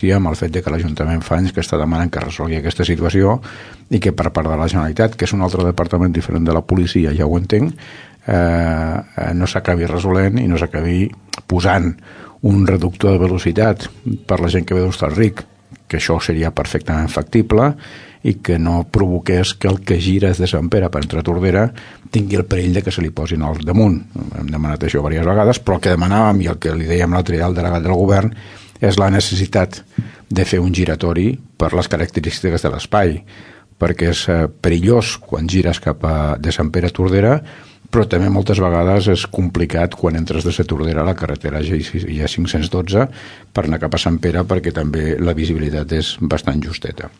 insistir en el fet de que l'Ajuntament fa anys que està demanant que resolgui aquesta situació i que per part de la Generalitat, que és un altre departament diferent de la policia, ja ho entenc, no s'acabi resolent i no s'acabi posant un reductor de velocitat per la gent que ve d'Hostalric, que això seria perfectament factible, i que no provoqués que el que gira des de Sant Pere per entrar a Tordera tingui el perill de que se li posin al damunt. Hem demanat això diverses vegades, però el que demanàvem i el que li dèiem l'altre dia al delegat del govern és la necessitat de fer un giratori per les característiques de l'espai, perquè és perillós quan gires cap de Sant Pere a Tordera, però també moltes vegades és complicat quan entres de la Tordera a la carretera G512 per anar cap a Sant Pere, perquè també la visibilitat és bastant justeta.